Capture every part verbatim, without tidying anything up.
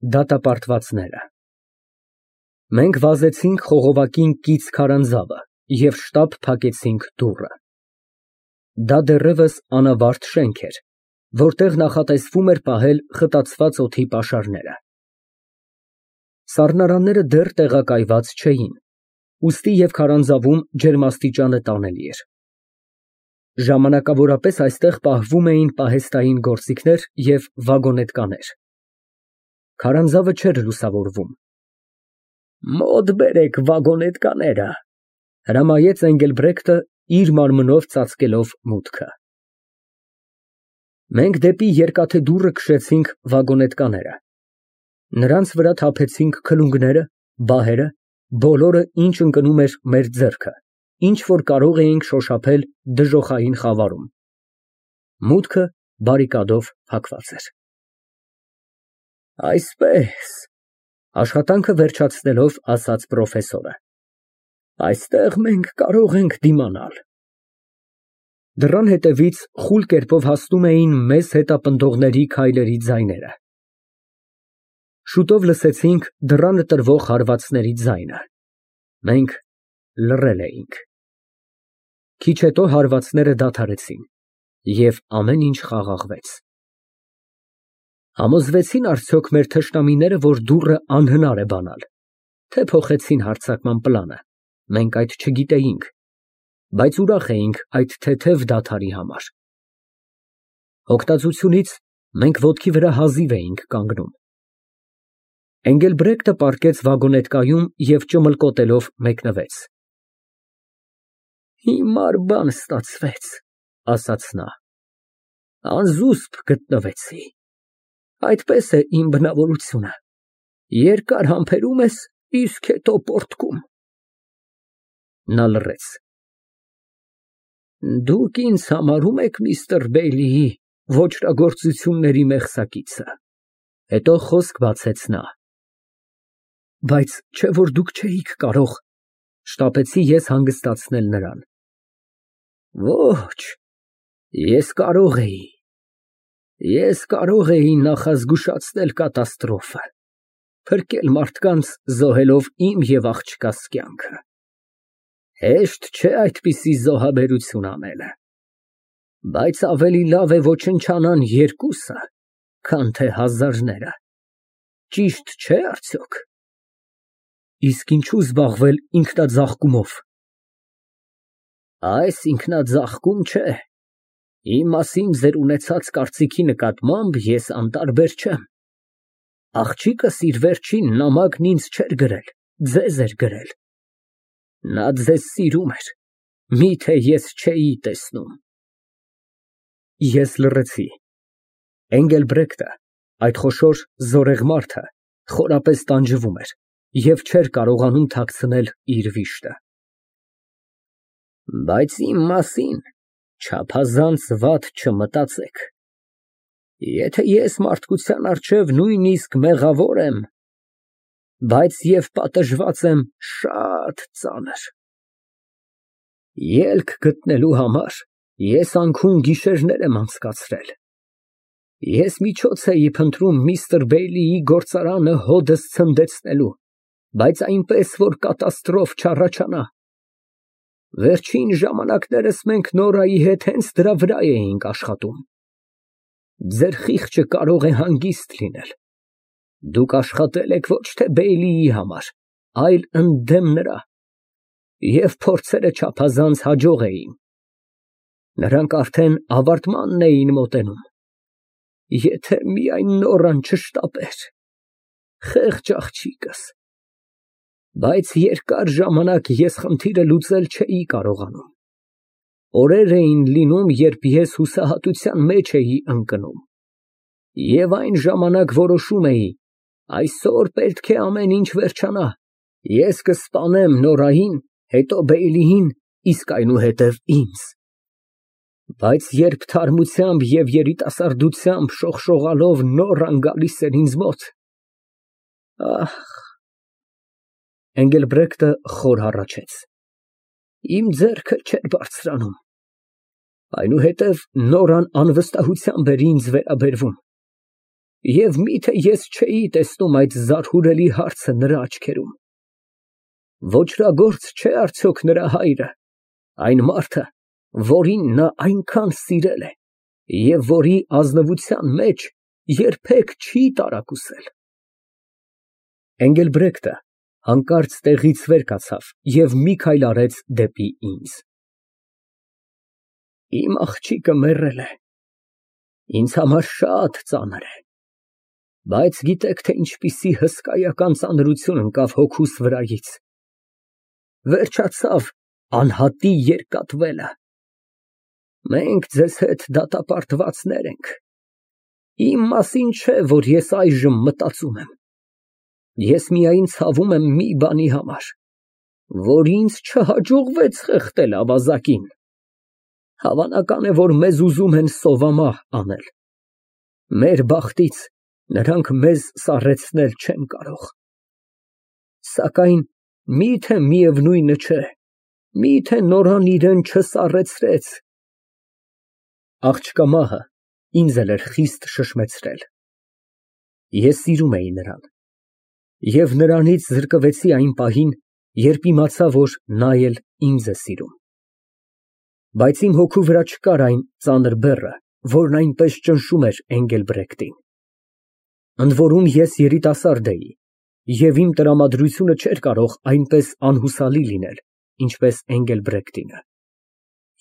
Դատապարտվածները Մենք վազեցինք խողովակին կից քարանձավը և շտապ փակեցինք դուռը։ Դա դեռևս անավարտ շենք էր, որտեղ նախատեսվում էր պահել խտացված օդի պաշարները։ Սառնարանները դեռ տեղակայված չէին, ուստի և քարանձավում ջերմաստիճանը տանելի էր։ Ժամանակավորապես այստեղ պահվում էին պահեստային գործիքներ և վագոնետկաներ։ Քարանձավը չէր լուսավորվում։ Մոտ բերեք վագոնետկաները, հրամայեց Էնգելբրեկտը, իր մարմնով ծածկելով մուտքը։ Մենք դեպի երկաթե դուռը քշեցինք վագոնետկաները։ Նրանց վրա թափեցինք քլունգները, բահերը, բոլորը, ինչ ընկնում էր մեր ձեռքը, ինչ որ կարող էինք շոշափել դժոխային խավարում։ Մուտքը բարիկադով փակված էր։ Այսպես, աշխատանքը վերջացնելով, ասաց պրոֆեսորը, այստեղ մենք կարող ենք դիմանալ։ Դռան հետևից խուլ կերպով հասնում էին մեզ հետապնդողների քայլերի ձայները։ Շուտով լսեցինք դռանը տրվող հարվածների ձայնը։ Մենք լռել էինք։ Քիչ հետո հարվածները դադարեցին, և ամեն ինչ խաղաղվեց։ Համոզվեցի՞ն արդյոք մեր թշնամիները, որ դուռը անհնար է բանալ, թե փոխեցին հարձակման պլանը, մենք այդ չգիտեինք, բայց ուրախ էինք այդ թեթև դադարի համար։ Հոգտածությունից մենք ոտքի վրա հազիվ էինք կանգնում։ Էնգելբրեկտը պառկեց վագոնետկայում և ճմլկոտելով մեկնվեց։ Հիմար բան ստացվեց, ասաց նա, անզուսպ գտնվեցի, այդպես է իմ բնավորությունը, երկար համբերում ես, իսկ հետո պոռթկում։ Նա լռեց։ Դուք ինձ համարո՞ւմ եք միստր Բեյլիի ոճրագործությունների մեղսակիցը։ Հետո խոսք բացեց նա։ Բայց չէ՞ որ դուք չէիք կարող, շտապեցի ես հանգստացնել նրան։ Ոչ, ես կարող էի, ես կարող էի նախազգուշացնել կատաստրոֆը, փրկել մարդկանց, զոհելով իմ և աղջկաս կյանքը։ Հեշտ չէ այդպիսի զոհաբերություն անելը, բայց ավելի լավ է ոչնչանան երկուսը, քան թե հազարները, ճիշտ չէ՞ արդյոք։ Իսկ ինչու զբաղվել ինքնաձաղկումով։ Այս ինքնաձաղկում չէ, իմ մասին ձեր ունեցած կարծիքի նկատմամբ ես անտարբեր չեմ։ Աղջիկս իր վերջին նամակն ինձ չէր գրել, ձեզ էր գրել։ Նա ձեզ սիրում էր, միթե ես չէի տեսնում։ Ես լռեցի։ Էնգելբրեկտը, այդ խոշոր զորեղ մարդը, խորապես տանջվում էր և չէր կարողանում թաքցնել իր վիշտը։ Բայց իմ մասին չափազանց վատ չմտածեք։ Եթե ես մարդկության առջև նույնիսկ մեղավոր եմ, բայց և պատժված եմ շատ ծանր։ Ելք գտնելու համար ես անքուն գիշերներ եմ անցկացրել։ Ես միջոց էի փնտրում միստր Բեյլիի գործարանը հոդս ցնդեցնելու, բայց այնպես, որ կատաստրոֆ չառաջանա։ Վերջին ժամանակներս մենք Նորայի հետ հենց դրա վրա էինք աշխատում։ Ձեր խիղճը կարող է հանգիստ լինել։ Դուք աշխատել եք ոչ թե Բեյլիի համար, այլ ընդդեմ նրա, և փորձերը չափազանց հաջող էին։ Նրանք արդեն ավարտմանն էին մոտենում։ Եթե միայն Նորան չշտապեր, խեղճ աղջիկս։ Բայց երկար ժամանակ ես խնդիրը լուծել չէի կարողանում։ Օրեր էին լինում, երբ ես հուսահատության մեջ էի ընկնում։ Եվ այն ժամանակ որոշում էի, այսօր պետք է ամեն ինչ վերջանա, ես կսպանեմ Նորային, հետո Բեյլիին, իսկ այնուհետև ինձ։ Բայց երբ թարմությամբ և երիտասարդությամբ շողշողալով Նորան գալիս էր ինձ մոտ… Ահ… Էնգելբրեկտը խոր հառաչեց։ Իմ ձեռքը չէր բարձրանում։ Այնուհետև Նորան անվստահությամբ էր ինձ վերաբերվում։ Եվ միթե ես չէի տեսնում այդ զարհուրելի հարցը նրա աչքերում։ Ոճրագործ չէ արդյոք նրա հայրը, այն մարդը, որին նա այնքան սիրել է և որի ազնվության մեջ երբեք չի տարակուսել։ Էնգելբրեկտը հանկարծ տեղից վեր կացավ և մի քայլ արեց դեպի ինձ։ Իմ աղջիկը մեռել է, ինձ համար շատ ծանր է, բայց գիտեք, թե ինչպիսի հսկայական ծանրություն ընկավ հոգուս վրայից, վերջացավ անհատի երկատվելը, մենք ձեզ հետ դատապարտվածներ ենք, իմ մասին չէ, որ ես այժմ մտածում եմ, ես միայն ցավում եմ մի բանի համար, որ ինձ չհաջողվեց խեղդել ավազակին, հավանական է, որ մեզ ուզում են սովամահ անել, մեր բախտից նրանք մեզ սառեցնել չեն կարող, սակայն միթե միևնույնը չէ, միթե նորան իրան չսառեցրեց։ Աղջկա մահը ինձ էլ էր խիստ շշմեցրել, ես սիրում էի նրան և նրանից զրկվեցի այն պահին, երբ իմացա, որ նա էլ ինձ է սիրում, բայց իմ հոգու վրա չկար այն ծանր բեռը, որն այնպես ճնշում էր Էնգելբրեկտին, ընդ որում ես երիտասարդ էի և իմ տրամադրությունը չէր կարող այնպես անհուսալի լինել, ինչպես Էնգելբրեկտինը,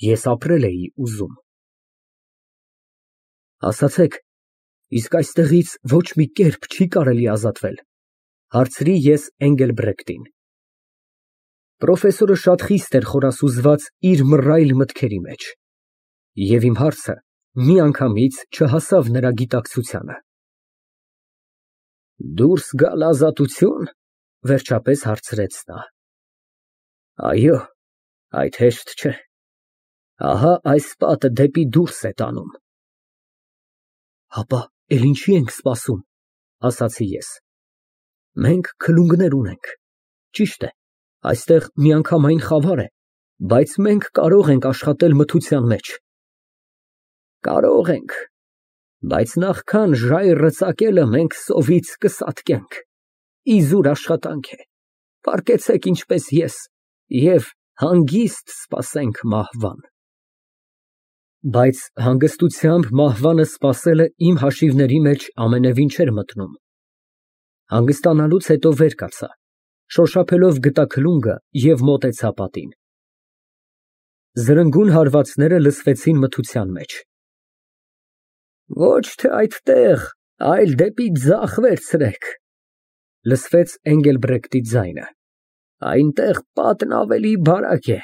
ես ապրել էի ուզում։ Ասացեք, իսկ այստեղից ոչ մի կերպ չի կարելի ազատվել, հարցրի ես Էնգելբրեկտին։ Պրոֆեսորը շատ խիստ էր խորասուզված իր մռայլ մտքերի մեջ, և իմ հարցը միանգամից չհասավ նրա գիտակցությանը։ Դուրս գալ ազատությո՞ւն, վերջապես հարցրեց նա։ Այո, այդ հեշտ չէ, ահա այս պատը դեպի դուրս է տանում։ Հապա էլ ինչի ենք սպասում, ասացի ես, մենք քլունգներ ունենք, ճիշտ է, այստեղ միանգամայն խավար է, բայց մենք կարող ենք աշխատել մթության մեջ։ Կարող ենք, բայց նախքան ժայռը ծակելը մենք սովից կսատկենք, իզուր աշխատանք է, պառկեցեք ինչպես ես և հանգիստ սպասենք մահվան։ Բայց հանգստությամբ մահվանը սպասելը իմ հաշիվների մեջ ամենևին չէր մտնում։ Հանգստանալուց հետո վեր կացա, շոշափելով գտա քլունգը և մոտեցա պատին։ Զրնգուն հարվածները լսվեցին մթության մեջ։ Ոչ թե այդտեղ, այլ դեպի ձախ վերցրեք, լսվեց Էնգելբրեկտի ձայնը, այնտեղ պատն ավելի բարակ է։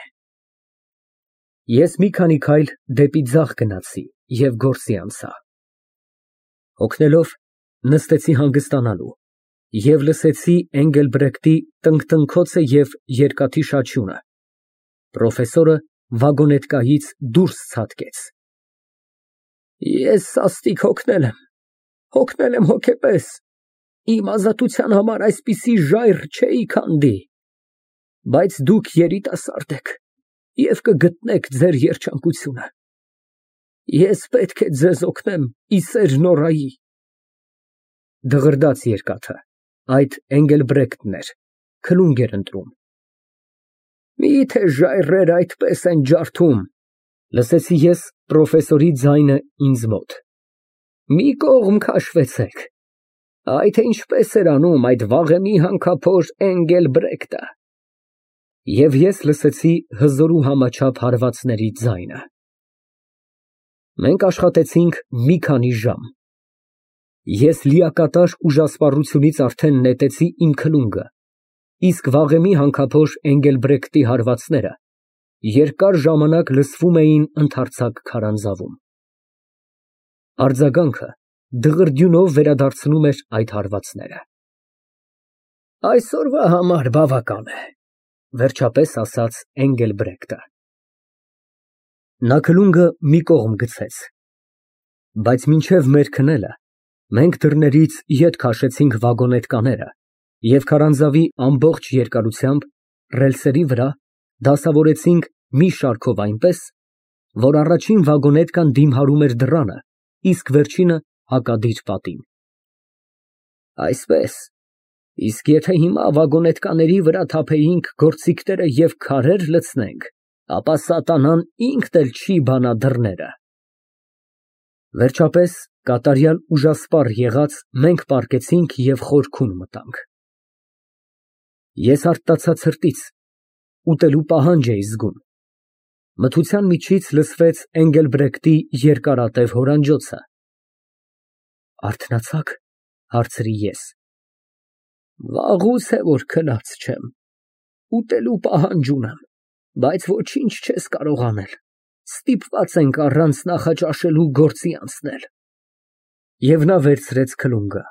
Ես մի քանի քայլ դեպի ձախ գնացի և գործի անցա։ Հոգնելով նստեցի հանգստանալու և լսեցի Էնգելբրեկտի տնկտնքոցը և երկաթի շաչյունը, պրոֆեսորը վագոնետկայից դուրս ցատկեց։ Ես սաստիկ հոգնել եմ, հոգնել եմ հոգեպես, իմ ազատության համար այսպիսի ժայռ չէի քանդի, բայց դուք երիտասարդ եք և կգտնեք ձեր երջանկությունը, ես պետք է ձեզ օգնեմ ի սեր նորայի։ Դղրդաց երկաթը, այդ Էնգելբրեկտն էր, քլունգ էր ընտրում։ Միթե ժայռերը այդպես են ջարդում, լսեցի ես պրոֆեսորի ձայնը ինձ մոտ։ Մի կողմ քաշվեցեք, այ թե ինչպես էր անում այդ վաղեմի հանքափոր Էնգելբրեկտը։ Եվ ես լսեցի հզոր ու համաչափ հարվածների ձայնը։ Մենք աշխատեցինք մի քանի ժամ։ Ես լիակատար ուժասպառությունից արդեն նետեցի իմ քլունգը, իսկ վաղեմի հանքափոր Էնգելբրեկտի հարվածները երկար ժամանակ լսվում էին ընդարձակ քարանձավում։ Արձագանքը դղրդյունով վերադարձնում էր այդ հարվածները։ Այսօրվա համար բավական է, վերջապես ասաց Էնգելբրեկտը։ Նա քլունգը մի կողմ գցեց, բայց մինչև մեր քնելը մենք դռներից ետ քաշեցինք վագոնետկաները և քարանձավի ամբողջ երկարությամբ ռելսերի վրա դասավորեցինք մի շարքով այնպես, որ առաջին վագոնետկան դիմհարում էր դռանը, իսկ վերջինը հակադիր պատին։ Այսպես, իսկ եթե հիմա վագոնետկաների վրա թափեինք գործիքները և քարեր լցնենք, ապա սատանան ինքն էլ չի բանա դռները։ Վերջապես, կատարյալ ուժասպառ եղած, մենք պառկեցինք և խորքում մտանք։ Ես արթնացա ցրտից, ուտելու պահանջ էի զգում։ Մթության միջից լսվեց Էնգելբրեկտի երկարատև հորանջոցը։ Արթնացա՞ք, հարցրի ես։ Վաղուց է, որ քնած չեմ, ուտելու պահանջ ունեմ, բայց ոչինչ չես կարող անել, ստիպված ենք առանց նախաճաշելու գործի անցնել։ Եվ նա վերցրեց քլունգը։